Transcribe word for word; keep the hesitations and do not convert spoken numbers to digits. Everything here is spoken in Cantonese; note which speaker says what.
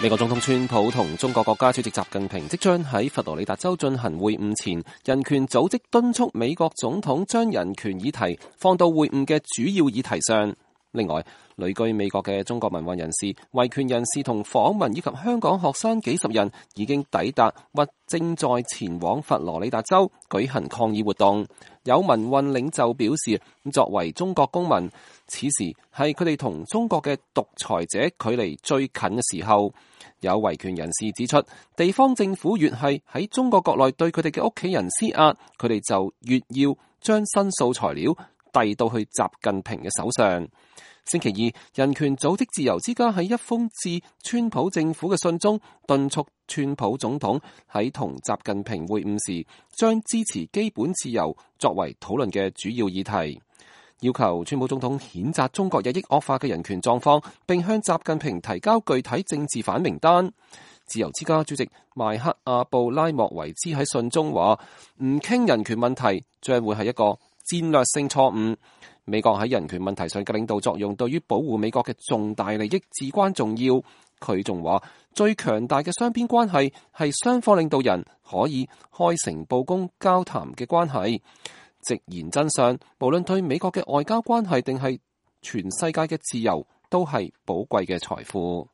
Speaker 1: 美國總統川普同中國國家主席習近平即將喺佛羅里達州進行會晤前，人權組織敦促美國總統將人權議題放到會晤嘅主要議題上。另外，旅居美國嘅中國民運人士、維權人士同訪民以及香港學生幾十人已經抵達或正在前往佛羅里達州舉行抗議活動。有民運領袖表示，作為中國公民，此時係佢哋同中國嘅獨裁者距離最近嘅時候。有維權人士指出，地方政府越係喺中國國內對佢哋嘅屋企人施壓，佢哋就越要將申訴材料遞到去習近平嘅手上。星期二，人權組織自由之家喺一封致川普政府嘅信中，敦促川普總統喺同習近平會晤時，將支持基本自由作為討論嘅主要議題，要求川普總統譴責中國日益惡化嘅人權狀況，並向習近平提交具體政治犯名單。自由之家主席邁克阿布拉莫維茲喺信中話：唔傾人權問題將會係一個戰略性錯誤。美國喺人權問題上嘅領導作用對於保護美國嘅重大利益至關重要。佢仲話，最強大嘅雙邊關係係雙方領導人可以開誠佈公交談嘅關係，直言真相，無論對美國嘅外交關係定係全世界嘅自由，都係寶貴嘅財富。